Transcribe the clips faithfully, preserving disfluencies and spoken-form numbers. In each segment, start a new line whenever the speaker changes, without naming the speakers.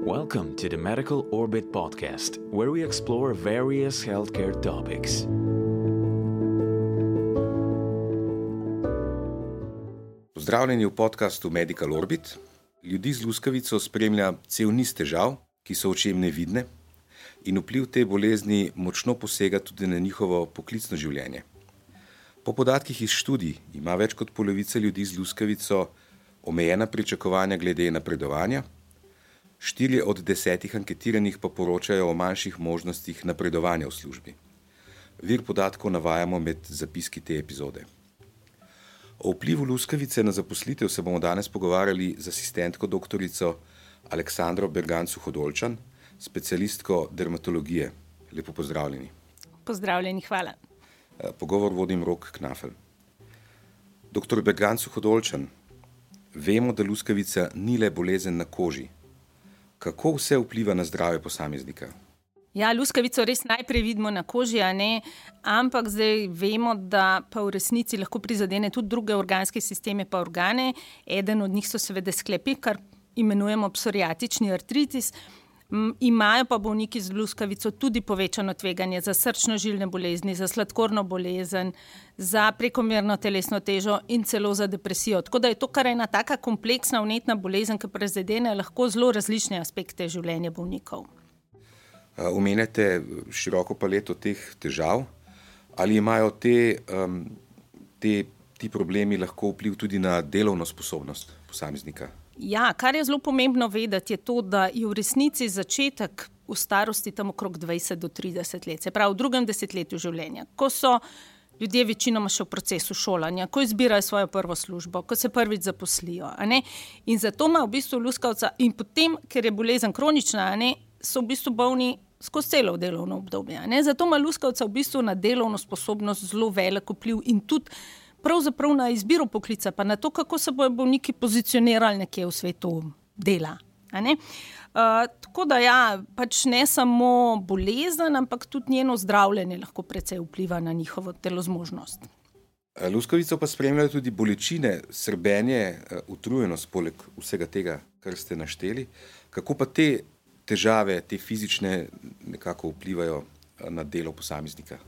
Welcome to the Medical Orbit podcast, where we explore various healthcare topics.
Pozdravljeni v podcastu Medical Orbit. Ljudi z luskavico spremlja cel niz težav, ki so očem nevidne, in vpliv te bolezni močno posega tudi na njihovo poklicno življenje. Po podatkih iz študij ima več kot polovica ljudi z luskavico omejena pričakovanja glede napredovanja, štirje od desetih anketiranih pa poročajo o manjših možnostih napredovanja v službi. Vir podatkov navajamo med zapiski te epizode. O vplivu luskavice na zaposlitev se bomo danes pogovarjali z asistentko doktorico Aleksandro Bergancu-Hodolčan, specialistko dermatologije. Lepo pozdravljeni.
Pozdravljeni, hvala.
Pogovor vodim Rok Knafel. Doktor Bergancu-Hodolčan, vemo, da luskavica ni le bolezen na koži. Kako vse vpliva na zdravje posameznika?
Ja, luskavico res najprej vidimo na koži, a ne, ampak zdaj vemo, da pa v resnici lahko prizadene tudi druge organske sisteme pa organe. Eden od njih so seveda sklepi, kar imenujemo psoriatični artritis. Imajo pa bolniki z luskavico tudi povečano tveganje za srčno-žilne bolezni, za sladkorno bolezen, za prekomerno telesno težo in celo za depresijo. Tako da je to kar ena taka kompleksna vnetna bolezen, ki prizadene lahko zelo različne aspekte življenja bolnikov.
Omenjate široko paleto teh težav. Ali imajo te, um, te, ti problemi lahko vpliv tudi na delovno sposobnost posameznika?
Ja, kar je zelo pomembno vedeti, je to, da je v resnici začetek v starosti tam okrog dvajset do trideset let, se pravi v drugem desetletju življenja, ko so ljudje večinoma še v procesu šolanja, ko izbirajo svojo prvo službo, ko se prvič zaposlijo. A ne? In zato ima v bistvu luskavca in potem, ker je bolezen kronična, a ne, so v bistvu bolni skozi celo delovno obdobje. A ne? Zato ima luskavca v bistvu na delovno sposobnost zelo velik vpliv in tudi pravzaprav na izbiro poklica, pa na to, kako se bojo bolniki pozicionirali nekje v svetu dela. A ne? Uh, tako da ja, pač ne samo bolezen, ampak tudi njeno zdravljenje lahko precej vpliva na njihovo telozmožnost.
Luskavico pa spremljajo tudi bolečine, srbenje, utrujenost poleg vsega tega, kar ste našteli. Kako pa te težave, te fizične nekako vplivajo na delo posameznika?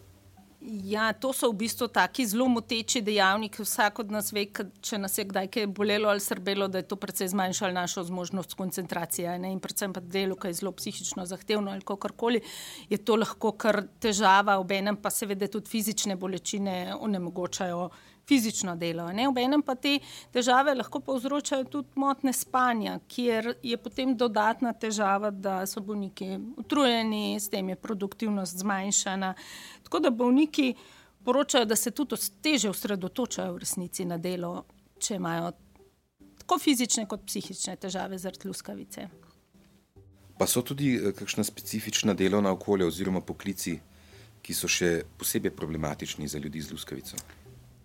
Ja, to so v bistvu taki zelo moteči dejavniki. Vsak od nas ve, če nas je kdaj kaj bolelo ali srbelo, da je to precej zmanjšalo našo zmožnost koncentracije, ne? In predvsem pa delo, ki je zelo psihično zahtevno ali kakorkoli, je to lahko kar težava, obenem pa seveda tudi fizične bolečine onemogočajo fizično delo. Ne? Obenem pa te težave lahko povzročajo tudi motnje spanja, kjer je potem dodatna težava, da so bolniki utrujeni, s tem je produktivnost zmanjšana. Tako da bolniki poročajo, da se tudi teže osredotočajo v resnici na delo, če imajo tako fizične kot psihične težave zaradi luskavice.
Pa so tudi kakšna specifična delovna okolja oziroma poklici, ki so še posebej problematični za ljudi z luskavico?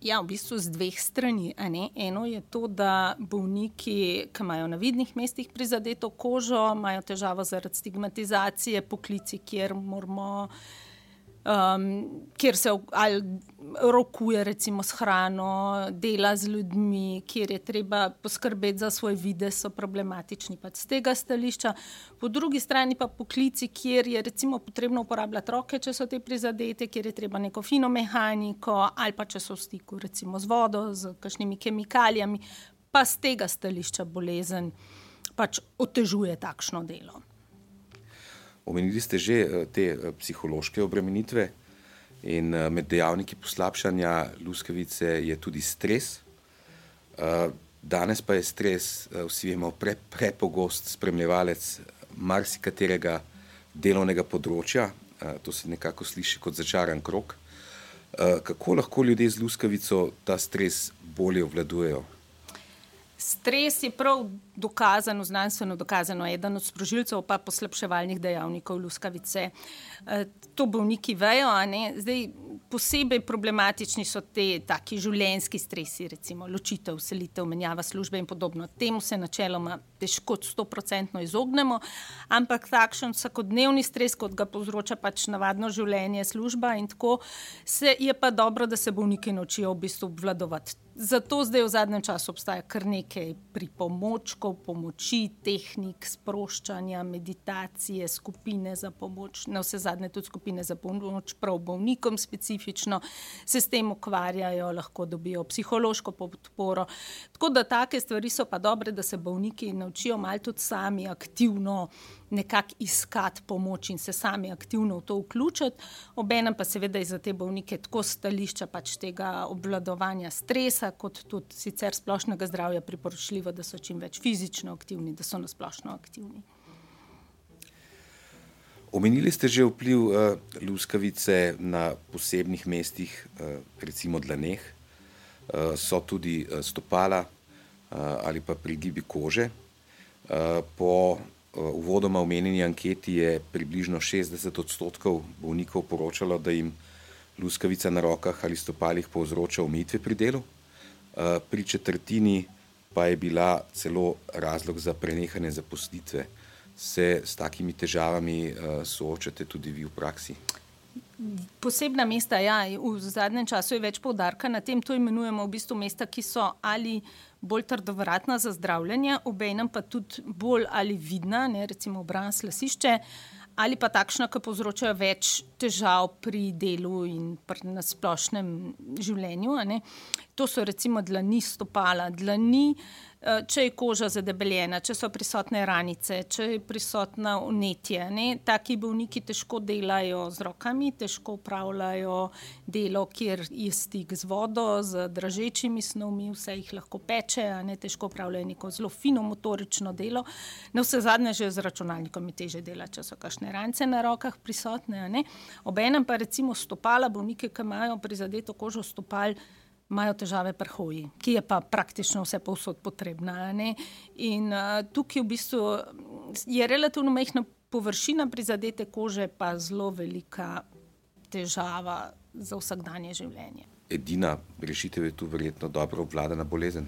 Ja, v bistvu z dveh strani. A ne? Eno je to, da bolniki, ki imajo na vidnih mestih prizadeto kožo, imajo težavo zaradi stigmatizacije, poklici, kjer moramo, um, kjer se ali rokuje recimo s hrano, dela z ljudmi, kjer je treba poskrbeti za svoj videz, so problematični pač z tega stališča. Po drugi strani pa poklici, kjer je recimo potrebno uporabljati roke, če so te prizadete, kjer je treba neko fino mehaniko ali pa če so v stiku recimo z vodo, z kakšnimi kemikalijami, pa z tega stališča bolezen pač otežuje takšno delo.
Omenili ste že te psihološke obremenitve in med dejavniki poslabšanja luskavice je tudi stres. Danes pa je stres, vsi vemo, pre, prepogost spremljevalec marsikaterega delovnega področja. To se nekako sliši kot začaran krog. Kako lahko ljudje z luskavico ta stres bolje obvladujejo?
Stres je prav dokazano, znanstveno dokazano, eden od sprožilcev pa poslabševalnih dejavnikov luskavice. To bolniki vejo, a ne? Zdaj, posebej problematični so te taki življenjski stresi, recimo ločitev, selitev, menjava službe in podobno. Temu se načeloma težko sto procentno izognemo, ampak takšen vsakodnevni stres, kot ga povzroča pač navadno življenje, služba in tako, se je pa dobro, da se bolniki naučijo v bistvu obvladovati Zato zdaj v zadnjem času obstaja kar nekaj pripomočkov, pomoči, tehnik, sproščanja, meditacije, skupine za pomoč, na vse zadnje tudi skupine za pomoč prav bolnikom specifično, se s tem ukvarjajo, lahko dobijo psihološko podporo. Tako da take stvari so pa dobre, da se bolniki naučijo malo tudi sami aktivno nekako iskati pomoč in se sami aktivno v to vključiti. Obenem pa seveda je za te bolnike tako stališča pač tega obvladovanja stresa, kot tudi sicer splošnega zdravja priporočljivo, da so čim več fizično aktivni, da so nasplošno aktivni.
Omenili ste že vpliv uh, luskavice na posebnih mestih, uh, recimo dlaneh, uh, so tudi uh, stopala uh, ali pa prigibi kože. Uh, po uvodoma omenjeni anketi je približno šestdeset odstotkov bolnikov poročalo, da jim luskavica na rokah ali stopalih povzroča omejitve pri delu. Pri četrtini pa je bila celo razlog za prenehanje zaposlitve. Se s takimi težavami soočate tudi vi v praksi?
Posebna mesta, ja, v zadnjem času je več poudarka na tem, to imenujemo v bistvu mesta, ki so ali bolj trdovratna za zdravljenje, obenem pa tudi bolj ali vidna, ne, recimo obraz, lasišče, ali pa takšna, ki povzročajo več težav pri delu in pri nasplošnem življenju. Ne. To so recimo dlani, stopala, dlani, če je koža zadebeljena, če so prisotne ranice, če je prisotna vnetje. Ne. Taki bolniki težko delajo z rokami, težko upravljajo delo, kjer je stik z vodo, z dražečimi snovmi, vse jih lahko peče, a ne, težko upravljajo neko zelo fino motorično delo. Na vse zadnje že z računalnikom je teže dela, če so kakšne ranice na rokah prisotne. A ne. Obenem pa recimo stopala, bolnike, ki imajo prizadeto kožo stopal, imajo težave pri hoji, ki je pa praktično vse povsod potrebna. Ne? In uh, tukaj v bistvu je relativno majhna površina prizadete kože, pa zelo velika težava za vsakdanje življenje.
Edina rešitev je tu verjetno dobro obvladana bolezen?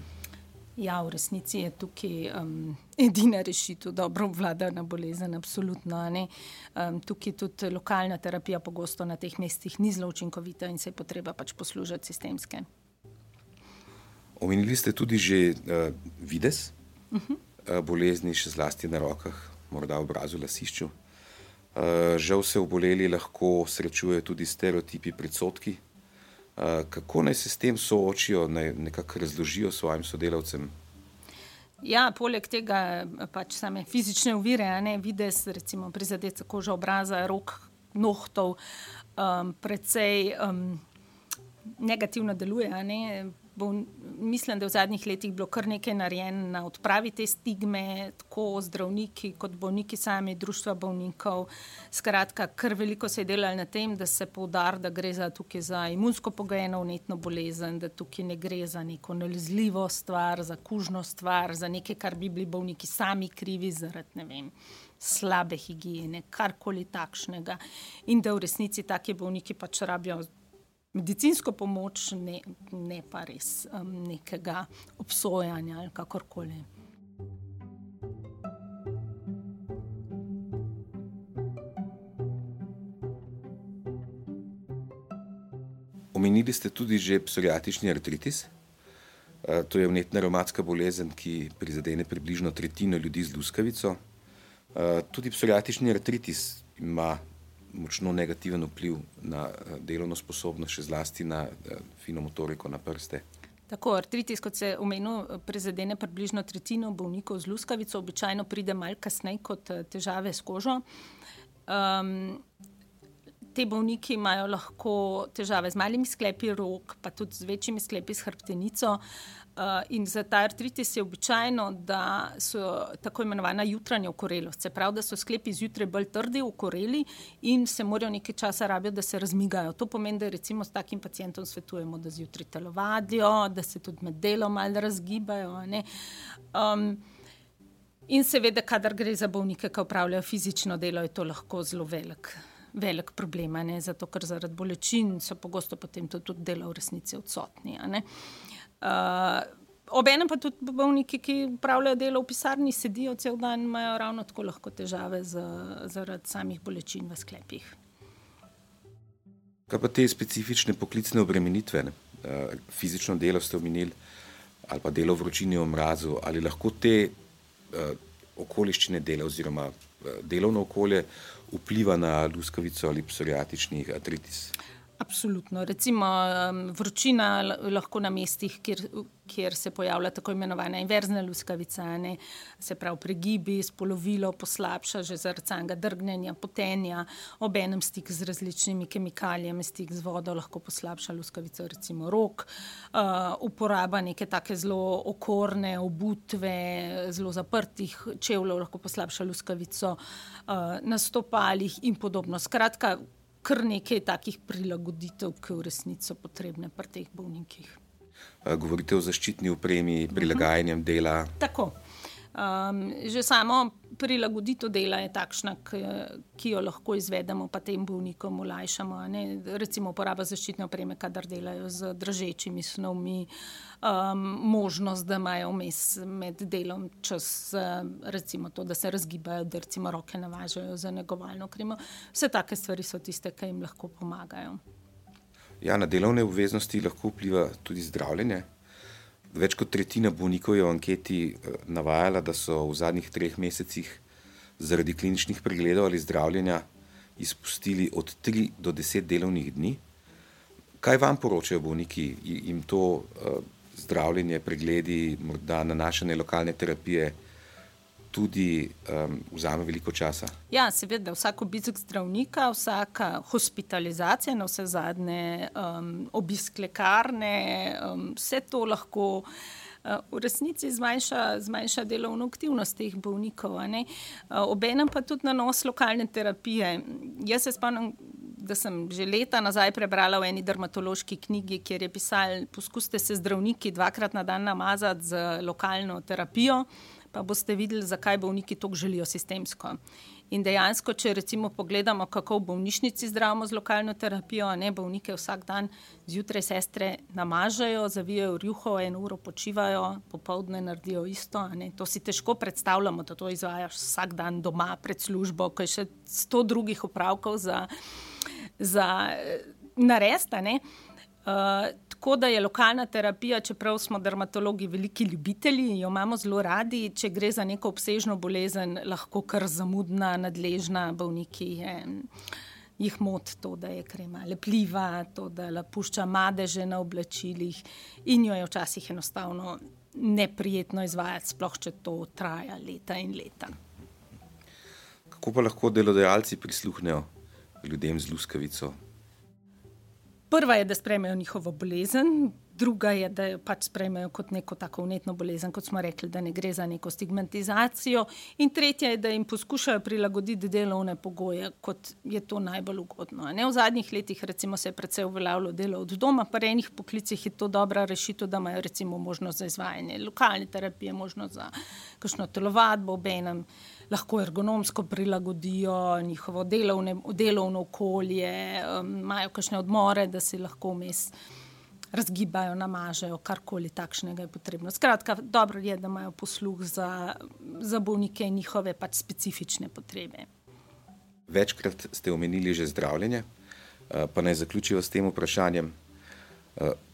Ja, v resnici je tukaj um, edina rešitev, dobro obvladana bolezen, absolutno. Ne? Um, tukaj tudi lokalna terapija pogosto na teh mestih ni zelo učinkovita in se je potreba pač poslužati sistemske.
Omenili ste tudi že uh, videz uh-huh. uh, bolezni, še zlasti na rokah, morda obrazu, lasišču. Uh, žal se oboleli lahko srečujejo tudi stereotipi, predsodki. Uh, kako naj se s tem soočijo, naj nekako razložijo svojim sodelavcem?
Ja, poleg tega pač same fizične ovire, a ne, videz, recimo prizadeta koža obraza, rok, nohtov, um, precej um, negativno deluje, a ne. Bo, mislim, da v zadnjih letih bilo kar nekaj narejeno na odpravi te stigme, tako zdravniki kot bolniki sami, društva bolnikov. Skratka, kar veliko se je delalo na tem, da se poudari, da gre za, tukaj za imunsko pogojeno vnetno bolezen, da tukaj ne gre za neko nalezljivo stvar, za kužno stvar, za nekaj, kar bi bili bolniki sami krivi zaradi, ne vem, slabe higiene, karkoli takšnega. In da v resnici taki bolniki pač rabijo medicinsko pomoč, ne, ne pa res um, nekega obsojanja ali kakorkoli.
Omenili ste tudi že psoriatični artritis. Uh, to je vnetna revmatska bolezen, ki prizadene približno tretjino ljudi z luskavico. Uh, tudi psoriatični artritis ima močno negativen vpliv na delovno sposobnost, še zlasti na fino motoriko, na prste.
Tako, artritis, kot se omenil, prizadene približno tretjino bolnikov z luskavico, običajno pride malo kasneje kot težave s kožo. Um, te bolniki imajo lahko težave z malimi sklepi rok, pa tudi z večjimi sklepi s hrbtenico. Uh, in za ta artritis je običajno, da so tako imenovana jutranja okorelost. Se pravi, da so sklepi zjutraj bolj trdi, okoreli in se morajo nekaj časa rabijo, da se razmigajo. To pomeni, da recimo s takim pacientom svetujemo, da zjutraj telovadijo, da se tudi med delom malo razgibajo. Ne? Um, in seveda, kadar gre za bolnike, ki opravljajo fizično delo, je to lahko zelo velik, velik problem, ne? Zato ker zaradi bolečin so pogosto potem tudi delo v resnici odsotni. A ne? Uh, obenem pa tudi bolniki, ki upravljajo delo v pisarni, sedijo cel dan, imajo ravno tako lahko težave z, zaradi samih bolečin v sklepih.
Kaj pa te specifične poklicne obremenitve? Ne? fizično delo ste omenili, ali pa delo v vročini v mrazu, ali lahko te okoliščine dela oziroma delovno okolje vpliva na luskavico ali psoriatični artritis?
Absolutno. Recimo vročina lahko na mestih, kjer, kjer se pojavlja tako imenovana inverzna luskavica, ne, se pravi pregibi, spolovilo poslabša že zaradi samega drgnjenja, potenja, obenem stik z različnimi kemikalijami, stik z vodo lahko poslabša luskavico, recimo rok, uh, uporaba neke take zelo okorne obutve, zelo zaprtih čevljev lahko poslabša luskavico, uh, na stopalih in podobno. Skratka, kar nekaj takih prilagoditev, ki v resnici so potrebne pri teh bolnikih.
Govorite o zaščitni opremi, prilagajanjem dela.
Tako. Um, že samo prilagoditev dela je takšna, ki, ki jo lahko izvedemo, pa tem bolnikom olajšamo. Ne? Recimo uporaba zaščitne opreme, kadar delajo z dražečimi snovmi, um, možnost, da imajo vmes med delom čas, recimo to, da se razgibajo, da recimo roke navažajo za negovalno kremo. Vse take stvari so tiste, ki jim lahko pomagajo.
Ja, na delovne obveznosti lahko vpliva tudi zdravljenje. Več kot tretjina bolnikov je v anketi navajala, da so v zadnjih treh mesecih zaradi kliničnih pregledov ali zdravljenja izpustili od tri do deset delovnih dni. Kaj vam poročajo bolniki? Jim to uh, zdravljenje, pregledi, morda nanašanje lokalne terapije tudi um, vzame veliko časa?
Ja, seveda, vsak obisk zdravnika, vsaka hospitalizacija, na vse zadnje um, obisk lekarne, um, vse to lahko uh, v resnici zmanjša, zmanjša delovno aktivnost teh bolnikov. A ne? Uh, obenem pa tudi nanos lokalne terapije. Jaz se spomnim, da sem že leta nazaj prebrala v eni dermatološki knjigi, kjer je pisal, poskusite se zdravniki dvakrat na dan namazati z lokalno terapijo, pa boste videli, zakaj bolniki toliko želijo sistemsko. In dejansko, če recimo pogledamo, kako v bolnišnici zdravimo z lokalno terapijo, ne, bolnike vsak dan zjutraj sestre namažajo, zavijajo rjuho, eno uro počivajo, popoldne naredijo isto. Ne. To si težko predstavljamo, da to izvajaš vsak dan doma pred službo, ko je še sto drugih opravkov za, za narediti, ne. Uh, tako da je lokalna terapija, čeprav smo dermatologi veliki ljubitelji, jo imamo zelo radi, če gre za neko obsežno bolezen, lahko kar zamudna, nadležna, bolniki je, jih moti to, da je krema lepljiva, to, da pušča madeže na oblačilih in jo je včasih enostavno neprijetno izvajati, sploh če to traja leta in leta.
Kako pa lahko delodajalci prisluhnejo ljudem z luskavico?
Prva je, da sprejmejo njihovo bolezen, druga je, da jo pač sprejmejo kot neko tako vnetno bolezen, kot smo rekli, da ne gre za neko stigmatizacijo, in tretja je, da jim poskušajo prilagoditi delovne pogoje, kot je to najbolj ugodno. Ne? V zadnjih letih recimo se je precej uveljavilo delo od doma, pa v enih poklicih je to dobra rešitev, da imajo recimo možnost za izvajanje lokalne terapije, možnost za kakšno telovadbo, obenem lahko ergonomsko prilagodijo njihovo delovne, delovno okolje, um, imajo kakšne odmore, da si lahko vmes razgibajo, namažejo, karkoli takšnega je potrebno. Skratka, dobro je, da imajo posluh za, za bolnike in njihove pač specifične potrebe.
Večkrat ste omenili že zdravljenje, pa naj zaključijo s tem vprašanjem.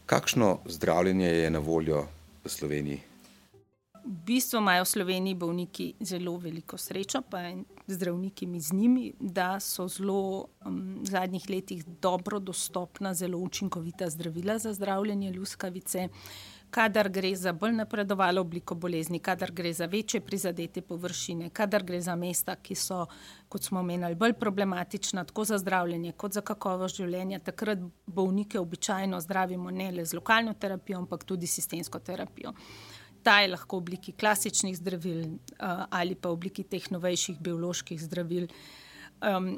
Kakšno zdravljenje je na voljo v Sloveniji?
V bistvu imajo v Sloveniji bolniki zelo veliko srečo, pa zdravniki z njimi, da so zelo um, v zadnjih letih dobro dostopna, zelo učinkovita zdravila za zdravljenje luskavice, kadar gre za bolj napredovalo obliko bolezni, kadar gre za večje prizadete površine, kadar gre za mesta, ki so, kot smo omenili, bolj problematična, tako za zdravljenje kot za kakovost življenja. Takrat bolnike običajno zdravimo ne le z lokalno terapijo, ampak tudi sistemsko terapijo. Ta je lahko v obliki klasičnih zdravil uh, ali pa v obliki teh novejših bioloških zdravil, um,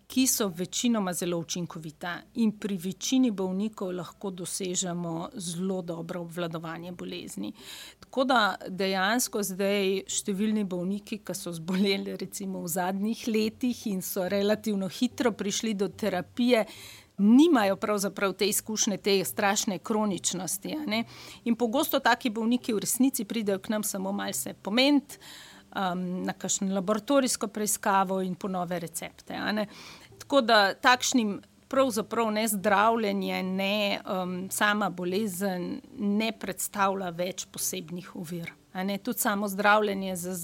ki so večinoma zelo učinkovita in pri večini bolnikov lahko dosežemo zelo dobro obvladovanje bolezni. Tako da dejansko zdaj številni bolniki, ki so zboleli recimo v zadnjih letih in so relativno hitro prišli do terapije, nimajo pravzaprav te izkušnje, te strašne kroničnosti. Ne? In pogosto taki bolniki v resnici pridejo k nam samo malo se pomeniti, um, na kakšno laboratorijsko preiskavo in po nove recepte. Ne? Tako da takšnim pravzaprav ne zdravljenje, ne um, sama bolezen ne predstavlja več posebnih ovir. A ne, tudi samo zdravljenje z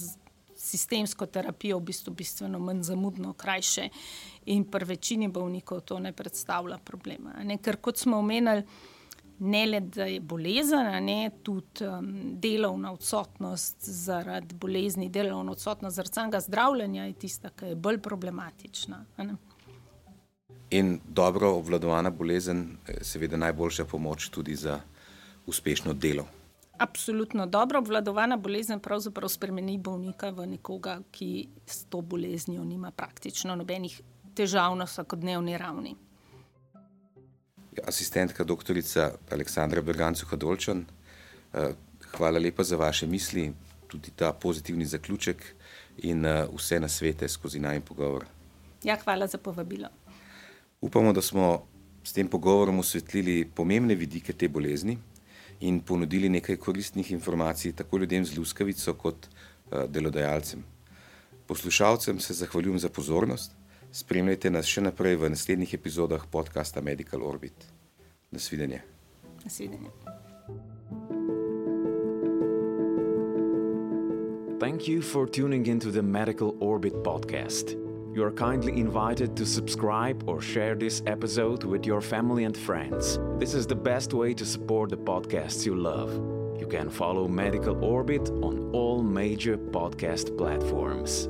sistemsko terapijo v bistvu bistveno manj zamudno, krajše in pri večini bolnikov to ne predstavlja problema. A ne, ker kot smo omenili, ne le, da je bolezen, a ne, tudi um, delovna odsotnost zaradi bolezni, delovna odsotnost zaradi samega zdravljenja je tista, ki je bolj problematična. A ne.
In dobro obvladovana bolezen je seveda najboljša pomoč tudi za uspešno delo.
Absolutno. Dobro obvladovana bolezen pravzaprav spremeni bolnika v nekoga, ki s to boleznijo nima praktično nobenih težav na vsakodnevni ravni.
Asistentka doktorica Aleksandra Berganc-Hadolčan, hvala lepa za vaše misli, tudi ta pozitivni zaključek in vse nasvete skozi najin pogovor.
Ja, hvala za povabilo.
Upamo, da smo s tem pogovorom osvetlili pomembne vidike te bolezni in ponudili nekaj koristnih informacij tako ljudem z luskavico kot delodajalcem. Poslušalcem se zahvaljujem za pozornost. Spremljajte nas še naprej v naslednjih epizodah podcasta Medical Orbit. Nasvidenje.
Nasvidenje.
Thank you for tuning into the Medical Orbit podcast. You are kindly invited to subscribe or share this episode with your family and friends. This is the best way to support the podcasts you love. You can follow Medical Orbit on all major podcast platforms.